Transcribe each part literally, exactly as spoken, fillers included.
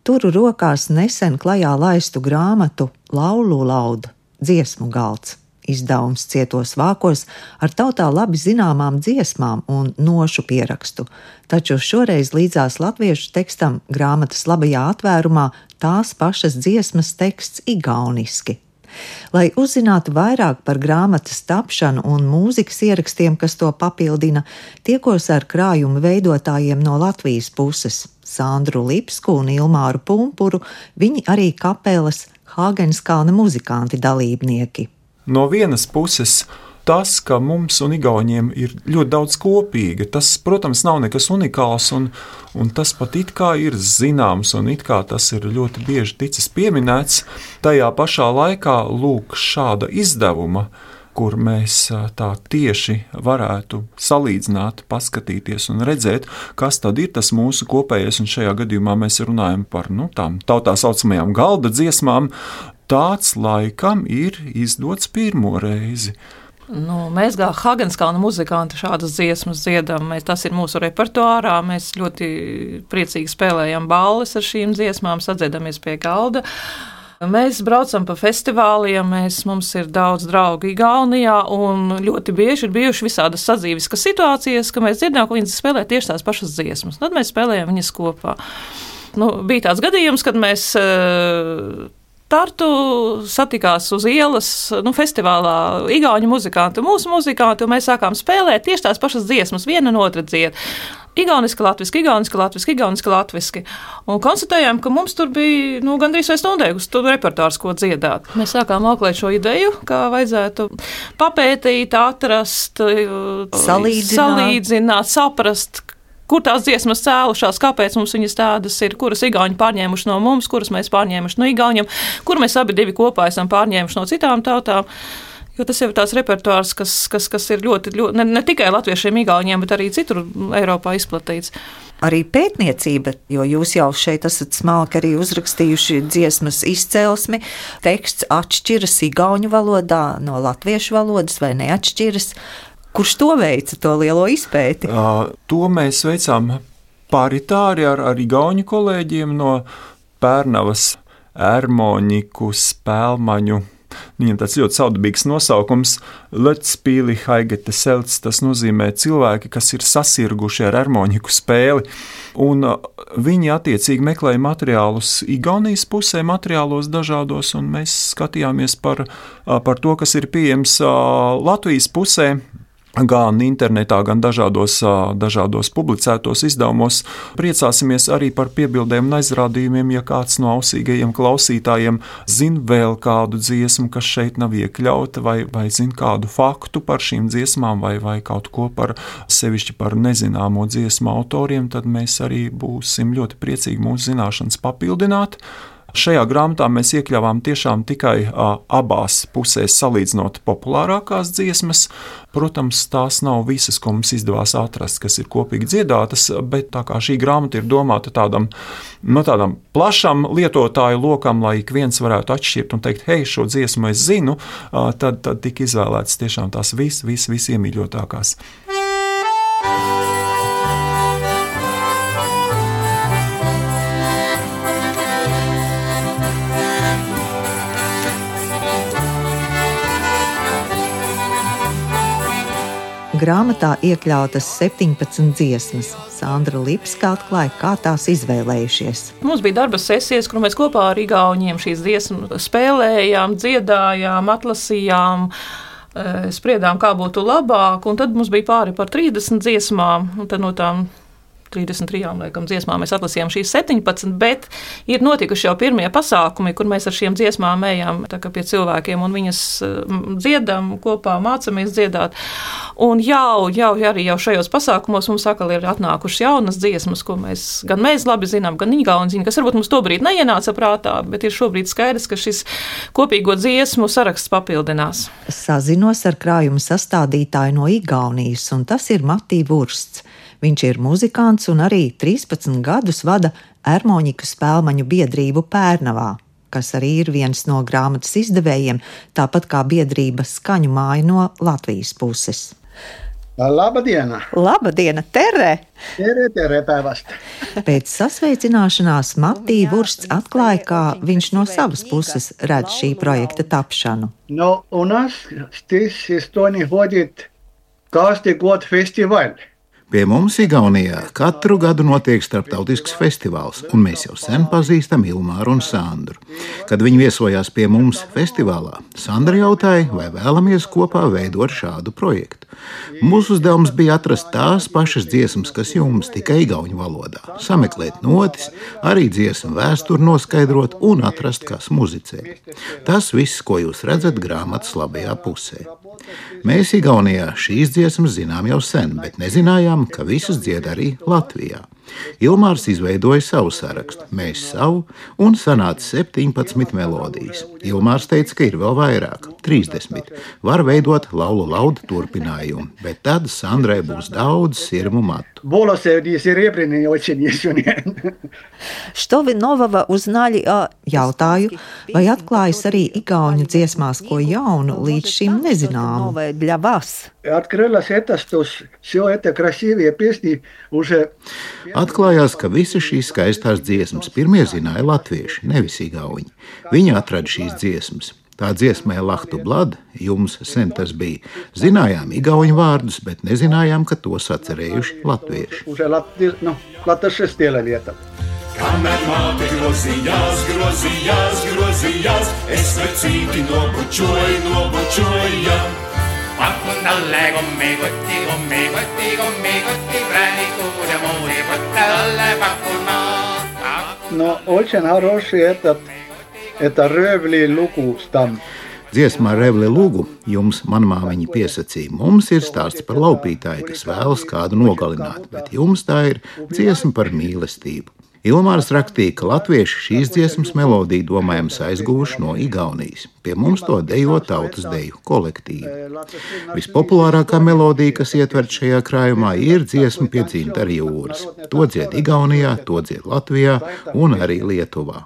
turu rokās nesen klajā laistu grāmatu Laulu laudu dziesmu galds. Izdevums cietos vākos ar tautā labi zināmām dziesmām un nošu pierakstu, taču šoreiz līdzās latviešu tekstam grāmatas labajā atvērumā tās pašas dziesmas teksts igauniski. Lai uzzinātu vairāk par grāmatas tapšanu un mūzikas ierakstiem, kas to papildina, tiekos ar krājumu veidotājiem no Latvijas puses – Sandru Lipsku un Ilmāru Pumpuru, viņi arī kapelas Hāgenskalna muzikanti dalībnieki. No vienas puses, tas, ka mums un igauņiem ir ļoti daudz kopīga, tas, protams, nav nekas unikāls, un, un tas pat it kā ir zināms, un it kā tas ir ļoti bieži ticis pieminēts. Tajā pašā laikā, lūk, šāda izdevuma, kur mēs tā tieši varētu salīdzināt, paskatīties un redzēt, kas tad ir tas mūsu kopējais, un šajā gadījumā mēs runājam par nu, tām tautā saucamajām galda dziesmām. Tāds laikam ir izdots pirmo reizi. Nu, mēs kā Hāgenskalna muzikanti šādas dziesmas dziedam, mēs, tas ir mūsu repertuārā, mēs ļoti priecīgi spēlējam balles ar šīm dziesmām, sadziedāmies pie galda. Mēs braucam pa festivāliem, mēs, mums ir daudz draugu Igaunijā, un ļoti bieži ir bijuši visādas sadzīviskas situācijas, ka mēs dzirdām, ka viņas spēlē tieši tās pašas dziesmas. Tad mēs spēlējam viņas kopā. Nu, bija tāds gadījums, kad mēs Tartu satikās uz ielas, nu, festivālā igauņu muzikanti, mūsu muzikanti, un mēs sākām spēlēt tieši tās pašas dziesmas, viena un otra dzied. Igauniski, latviski, igauniski, latviski, igauniski, latviski. Un konstatējām, ka mums tur bija nu, gandrīz vai stundēgus tur repertuārs, ko dziedāt. Mēs sākām auklēt šo ideju, kā vajadzētu papētīt, atrast, salīdzināt, salīdzināt saprast, kur tās dziesmas cēlušās, kāpēc mums viņas tādas ir, kuras igauņi pārņēmuši no mums, kuras mēs pārņēmuši no igauņiem, kur mēs abi divi kopā esam pārņēmuši no citām tautām. Jo tas jau ir tāds repertuārs, kas, kas, kas ir ļoti, ļoti ne, ne tikai latviešiem, igauņiem, bet arī citur Eiropā izplatīts. Arī pētniecība, jo jūs jau šeit esat smalki arī uzrakstījuši dziesmas izcelsmi, teksts atšķiras igauņu valodā no latviešu valodas vai neatšķiras. Kurš to veica, to lielo izpēti? Uh, to mēs veicām paritāri ar, ar igauņu kolēģiem no Pērnavas, Ermoņiku, Spēlmaņu. Viņam tāds ļoti saudabīgs nosaukums Letspīli Haigete Selts, tas nozīmē cilvēki, kas ir sasirguši ar Ermoņiku spēli. Un uh, viņi attiecīgi meklēja materiālus Igaunijas pusē, materiālos dažādos, un mēs skatījāmies par, uh, par to, kas ir pieejams uh, Latvijas pusē. Gan internetā, gan dažādos, dažādos publicētos izdevumos. Priecāsimies arī par piebildēm un aizrādījumiem, ja kāds no ausīgajiem klausītājiem zina vēl kādu dziesmu, kas šeit nav iekļauta, vai, vai zina kādu faktu par šīm dziesmām, vai, vai kaut ko par sevišķi par nezināmo dziesmu autoriem, tad mēs arī būsim ļoti priecīgi mūsu zināšanas papildināt. Šajā grāmatā mēs iekļāvām tiešām tikai a, abās pusēs salīdzinot populārākās dziesmas. Protams, tās nav visas, ko mums izdevās atrast, kas ir kopīgi dziedātas, bet tā kā šī grāmata ir domāta tādam, no tādam plašam lietotāju lokam, lai ik viens varētu atšķirt un teikt, hei, šo dziesmu es zinu, a, tad, tad tika izvēlētas tiešām tās vis, vis, vis iemīļotākās. Grāmatā iekļautas septiņpadsmit dziesmas. Sandra Lipska atklāja, kā tās izvēlējušies. Mums bija darba sesijas, kur mēs kopā ar igauņiem šīs dziesmas spēlējām, dziedājām, atlasījām, spriedām, kā būtu labāk, un tad mums bija pāri par trīsdesmit dziesmām, un tad no tām trīsdesmit trijām laikam, dziesmām mēs atlasījām šīs septiņpadsmit, bet ir notikuši jau pirmie pasākumi, kur mēs ar šiem dziesmām ejam tā kā pie cilvēkiem un viņas dziedam kopā, mācamies dziedāt. Un jau, jau arī jau šajos pasākumos mums atkal ir atnākušas jaunas dziesmas, ko mēs, gan mēs labi zinām, gan igauni zina, kas varbūt mums tobrīd neienāca prātā, bet ir šobrīd skaidrs, ka šis kopīgo dziesmu saraksts papildinās. Sazinos ar krājuma sastādītāju no Igaunijas, un tas ir Matī Vursts. Viņš ir muzikants un arī trīspadsmit gadus vada Ermoņiku spēlmaņu biedrību Pērnavā, kas arī ir viens no grāmatas izdevējiem, tāpat kā biedrība Skaņu māja no Latvijas puses. Labadiena! Labadiena, Tere! Tere, tere päevästä! Pēc sasveicināšanās Matija Vursts atklāja, kā viņš no savas puses redz šī projekta tapšanu. No, у нас здесь в Эстонии ходит каждый год фестиваль. Pie mums Igaunijā katru gadu notiek starptautisks festivāls, un mēs jau sen pazīstam Ilmāru un Sandru. Kad viņi viesojās pie mums festivālā, Sandra jautāja, vai vēlamies kopā veidot šādu projektu. Mūsu uzdevums bija atrast tās pašas dziesmas, kas jums tikai igauņu valodā, sameklēt notis, arī dziesmu vēsturi noskaidrot un atrast, kas muzicē. Tas viss, ko jūs redzat grāmatas labajā pusē. Mēs Igaunijā šīs dziesmas zinām jau sen, bet nezinājām, ka visas dzied arī Latvijā. Ilmārs izveidoja savu sarakstu, mēs savu, un sanāca septiņpadsmit melodijas. Ilmārs teica, ka ir vēl vairāk, trīsdesmit. Var veidot Laulu laudu turpinājumu, bet tad Sandrai būs daudz sirmu matu. Što vi novava uznali, jautāju, vai atklājas arī igauņu dziesmās ko jaunu līdz šim nezināmu? Открылась эта, что все это красивые песни уже... Atklājās, ka visas šīs skaistās dziesmas pirmie zināja latvieši, nevis igauņi. Viņi atrada šīs dziesmas. Tā dziesmē Lahtu blad, jums sen tas bija. Zinājām igauņu vārdus, bet nezinājām, ka tos atcerējuši latvieši. Kamēr māte grozījās, grozījās, grozījās, es vecīti nobučoju, nobučoju. Pakun alle kommikotti, kommikotti, kommikotti, präänikud ja muurikotte alle pakuna. No, очень хороший этот, это Rövli lugu stam. Dziesmā Revli lugu jums manmāmiņa piesacīja. Mums ir stāsts par laupītāju, kas vēlas kādu nogalināt, bet jums tā ir dziesma par mīlestību. Ilmārs rakstīja, ka latvieši šīs dziesmas melodiju domājams aizguvuši no Igaunijas. Pie mums to dejo tautas deju kolektīvi. Vispopulārākā melodija, kas ietverta šajā krājumā, ir dziesma pie dzintara jūras. To dzied Igaunijā, to dzied Latvijā un arī Lietuvā.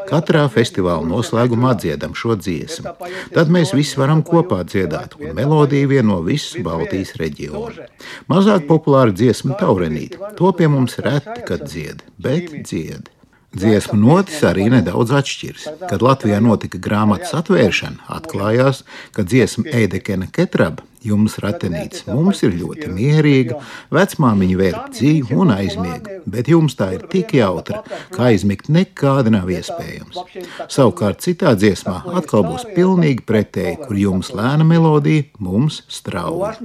Katrā festivāla noslēgumā dziedam šo dziesmu. Tad mēs visi varam kopā dziedāt, un melodija vieno visu Baltijas reģionu. Mazāk populāra dziesma Taurenīte. To pie mums reti, kad dzied, bet dzied. Dziesmu notis arī nedaudz atšķiras. Kad Latvijā notika grāmatas atvēršana, atklājās, ka dziesma Eidekena Ketraba, jums ratenīts, mums ir ļoti mierīga, vecmāmiņa vērp dzīvi un aizmiega, bet jums tā ir tik jautra, ka aizmigt nekādi nav iespējams. Savukārt citā dziesmā atkal būs pilnīgi pretēji, kur jums lēna melodija, mums strauja.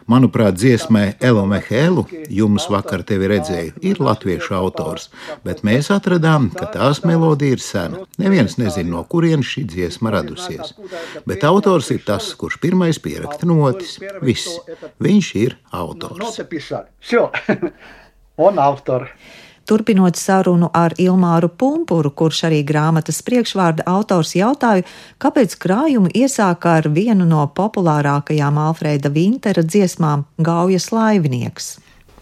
Manuprāt, dziesmai Elo Mehēlu, jums vakar tevi redzēju, ir latviešu autors, bet mēs atradām, ka tās melodija ir sena. Neviens nezina, no kurienes šī dziesma radusies. Bet autors ir tas, kurš pirmais pieraksta notis. Viss. Viņš ir autors. Turpinot sarunu ar Ilmāru Pumpuru, kurš arī grāmatas priekšvārda autors, jautāju, kāpēc krājumu iesāka ar vienu no populārākajām Alfrēda Vintera dziesmām Gaujas laivnieks.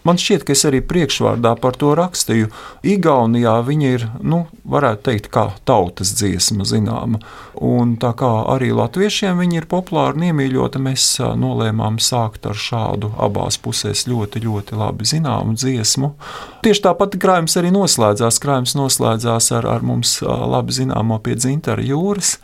Man šķiet, ka es arī priekšvārdā par to rakstīju. Igaunijā viņa ir, nu, varētu teikt, kā tautas dziesma zināma. Un tā kā arī latviešiem viņa ir populāra un iemīļota, mēs nolēmām sākt ar šādu abās pusēs ļoti, ļoti labi zināmu dziesmu. Tieši tāpat krājums arī noslēdzās. Krājums noslēdzās ar, ar mums labi zināmo Pie dzintara jūras,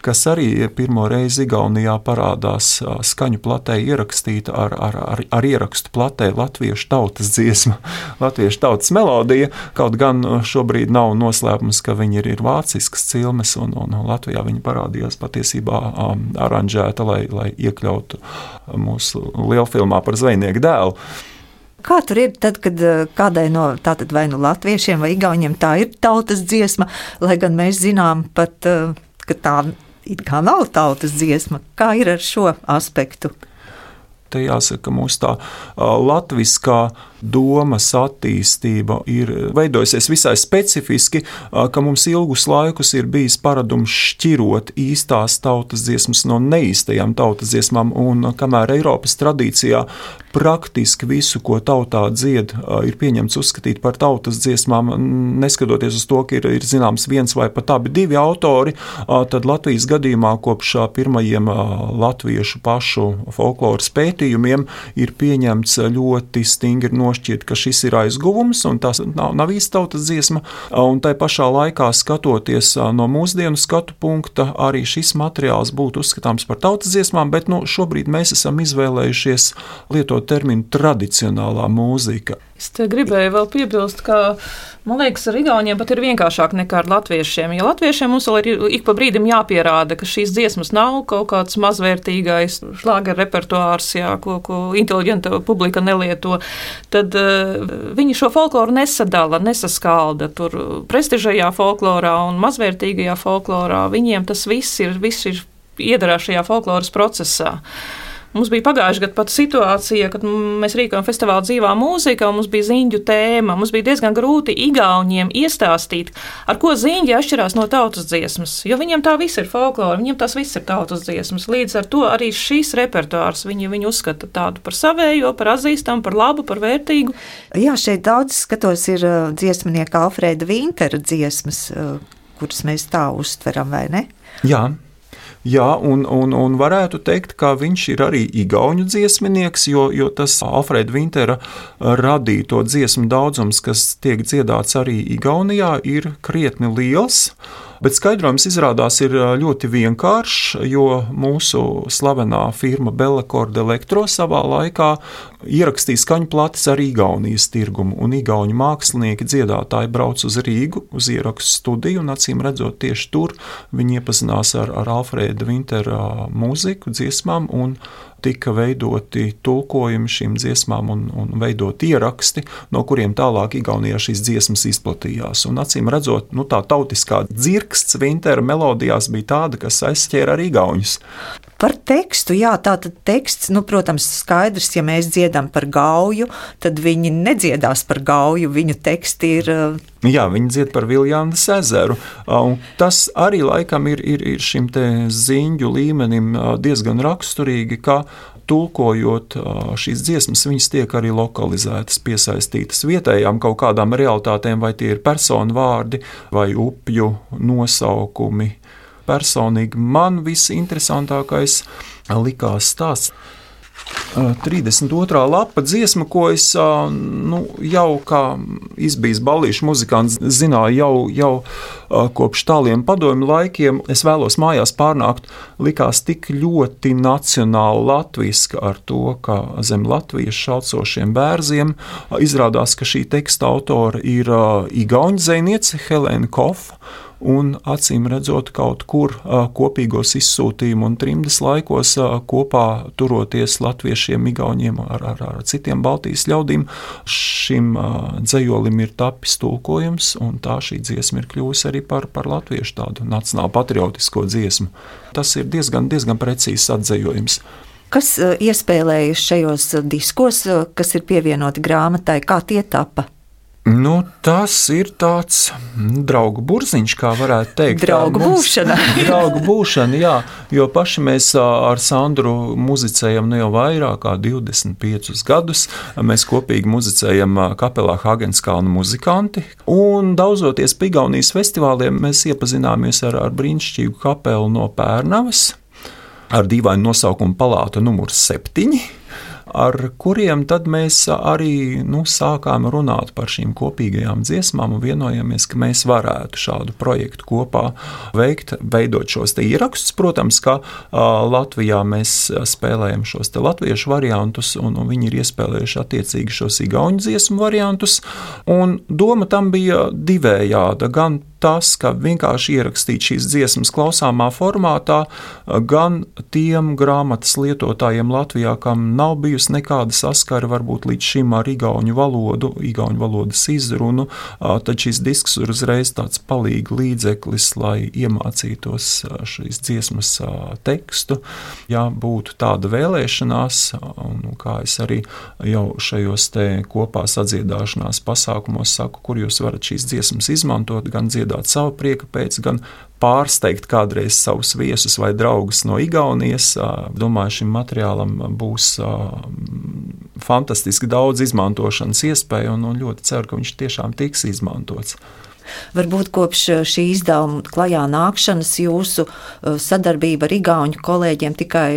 kas arī pirmo reizi Igaunijā parādās skaņu platē ierakstīta ar, ar, ar, ar ierakstu platē latviešu tautas dziesma, latviešu tautas melodija, kaut gan šobrīd nav noslēpums, ka viņi ir, ir vāciskas cilmes, un, un Latvijā viņi parādījās patiesībā um, aranžēta, lai, lai iekļautu mūsu lielfilmā par zvejnieku dēlu. Kā tur ir tad, kad kādai no tātad vai nu latviešiem vai igauņiem tā ir tautas dziesma, lai gan mēs zinām pat, ka tā it kā nav tautas dziesma. Kā ir ar šo aspektu? Te jāsaka, mūsu tā latviskā domas attīstība ir veidojusies visai specifiski, ka mums ilgus laikus ir bijis paradums šķirot īstās tautas dziesmas no neīstajām tautas dziesmām, un kamēr Eiropas tradīcijā praktiski visu, ko tautā dzied, ir pieņemts uzskatīt par tautas dziesmām, neskatoties uz to, ka ir, ir zināms viens vai pat abi divi autori, tad Latvijas gadījumā kopš pirmajiem latviešu pašu folkloras pētījumiem ir pieņemts ļoti stingri nošķirt, ka šis ir aizguvums un tas nav, nav īsta tautas dziesma, un tai pašā laikā skatoties no mūsdienu skatu punkta, arī šis materiāls būtu uzskatāms par tautas dziesmām, bet nu, šobrīd mēs esam izvēlējušies lietot terminu tradicionālā mūzika. Es te gribēju vēl piebilst, ka, man liekas, ar igauniem pat ir vienkāršāk nekā ar latviešiem. Ja latviešiem mums vēl ir ik pa brīdim jāpierāda, ka šīs dziesmas nav kaut kāds mazvērtīgais šlāger repertuārs, jā, ko, ko inteliģenta publika nelieto, tad uh, viņi šo folkloru nesadala, nesaskalda. Tur prestižajā folklorā un mazvērtīgajā folklorā viņiem tas viss ir, viss ir iedarā šajā folkloras procesā. Mums bija pagājuši gadu pat situācija, kad mēs rīkojam festivālu dzīvā mūzika, un mums bija ziņģu tēma. Mums bija diezgan grūti igauņiem iestāstīt, ar ko ziņģi atšķirās no tautas dziesmas, jo viņiem tā viss ir folklora, viņiem tas viss ir tautas dziesmas. Līdz ar to arī šīs repertuārs viņi, viņi uzskata tādu par savējo, par atzīstamu, par labu, par vērtīgu. Jā, šeit daudz skatos ir dziesmnieka Alfrēda Vintera dziesmas, kuras mēs tā uztveram, vai ne? Jā. Jā, un, un, un varētu teikt, ka viņš ir arī igauņu dziesminieks, jo, jo tas Alfrēda Vintera radīto dziesmu daudzums, kas tiek dziedāts arī Igaunijā, ir krietni liels. Bet skaidrojums izrādās ir ļoti vienkāršs, jo mūsu slavenā firma Bellaccord Electro savā laikā ierakstīja skaņplates ar Igaunijas tirgumu, un igauņu mākslinieki dziedātāji brauc uz Rīgu, uz ierakstu studiju, un acīm redzot tieši tur viņi iepazinās ar, ar Alfrēda Vintera mūziku, dziesmām, un tika veidoti tulkojumi šīm dziesmām un, un veidot ieraksti, no kuriem tālāk Igaunijā šīs dziesmas izplatījās. Un acīm redzot, nu, tā tautiskā dzirksts Vintera melodijās bija tāda, kas aizķēra arī igauņus. Par tekstu, jā, tātad teksts, nu, protams, skaidrs, ja mēs dziedam par gauju, tad viņi nedziedās par gauju, viņu teksti ir... Jā, viņi dzied par Viljānas ezeru, un tas arī laikam ir, ir, ir šim te ziņģu līmenim diezgan raksturīgi, ka tulkojot šīs dziesmas, viņas tiek arī lokalizētas, piesaistītas vietējām kaut kādām realitātēm, vai tie ir personu vārdi, vai upju nosaukumi. Personīgi man visinteresantākais likās stāsts. trīsdesmit otrā lapa dziesma, ko es nu, jau kā izbijis ballīšu muzikants zināju jau, jau kopš tāliem padomju laikiem. Es vēlos mājās pārnākt, likās tik ļoti nacionāli latviska ar to, ka zem latviešu šalcošiem bērziem izrādās, ka šī teksta autora ir igauņu dzejniece Helēna Kofa. Un acīm redzot kaut kur kopīgos izsūtījumu un trimdes laikos kopā turoties latviešiem, igauņiem ar, ar, ar citiem Baltijas ļaudīm, šim dzejolim ir tapis tulkojums, un tā šī dziesma ir kļuvusi arī par, par latviešu tādu nacionālu patriotisko dziesmu. Tas ir diezgan, diezgan precīzs atzejojums. Kas iespēlējas šajos diskos, kas ir pievienoti grāmatai, kā tie tapa? Nu, tas ir tāds draugu burziņš, kā varētu teikt. Draugu mums, būšana. Draugu būšana, jā, jo paši mēs ar Sandru muzicējam ne jau vairāk kā divdesmit piecus gadus. Mēs kopīgi muzicējam kapelā Hagenskalna muzikanti, un daudzoties pa Igaunijas festivāliem mēs iepazināmies ar, ar brīnišķīgu kapelu no Pērnavas, ar dīvainu nosaukumu Palāta numurs septiņi. Ar kuriem tad mēs arī nu, sākām runāt par šīm kopīgajām dziesmām un vienojāmies, ka mēs varētu šādu projektu kopā veikt, veidot šos te ierakstus. Protams, ka uh, Latvijā mēs spēlējam šos te latviešu variantus, un, un viņi ir iespēlējuši attiecīgi šos igauņu dziesmu variantus, un doma tam bija divējāda, gan tas, ka vienkārši ierakstīt šīs dziesmas klausāmā formātā, gan tiem grāmatas lietotājiem Latvijā, kam nav bijusi nekāda saskara varbūt līdz šim ar igauņu valodu, igauņu valodas izrunu, tad šis disks ir uzreiz tāds palīga līdzeklis, lai iemācītos šīs dziesmas tekstu. Ja būtu tāda vēlēšanās, un kā es arī jau šajos te kopā sadziedāšanās pasākumos saku, kur jūs varat šīs dziesmas izmantot, gan dziedāt savu prieka pēc, gan pārsteigt kādreiz savus viesus vai draugus no Igaunijas. Domāju, šim materiālam būs fantastiski daudz izmantošanas iespēju un, un ļoti ceru, ka viņš tiešām tiks izmantots. Varbūt kopš šī izdevuma klajā nākšanas jūsu sadarbība ar igauņu kolēģiem tikai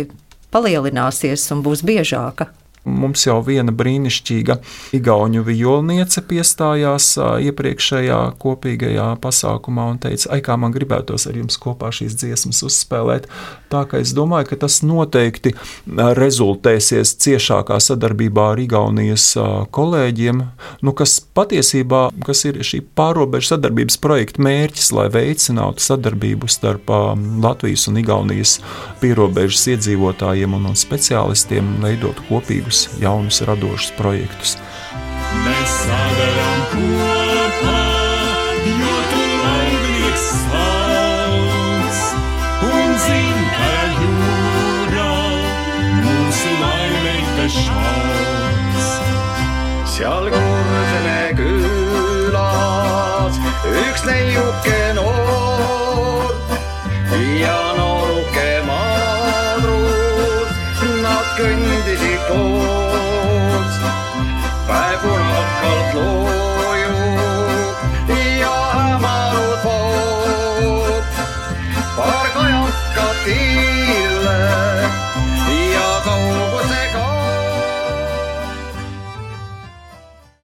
palielināsies un būs biežāka. Mums jau viena brīnišķīga igauņu vijolniece piestājās iepriekšējā kopīgajā pasākumā un teica, ai, kā man gribētos ar jums kopā šīs dziesmas uzspēlēt. Tā ka es domāju, ka tas noteikti rezultēsies ciešākā sadarbībā ar Igaunijas kolēģiem, nu, kas patiesībā, kas ir šī pārrobežu sadarbības projekta mērķis, lai veicinātu sadarbību starp Latvijas un Igaunijas pierobežas iedzīvotājiem un, un speciālistiem, veidot kopīgu jaunus radošus projektus. Mēs sadaram kopā, jo tu laimnieks sauc, un zin, ka jūrā mūsu laimēta šauc. Seal Kurseme külas üks neiuke noor ja nooruke madrus, nad kõndisid koos, päev punakalt loojub ja hämarud voob, paar kajakat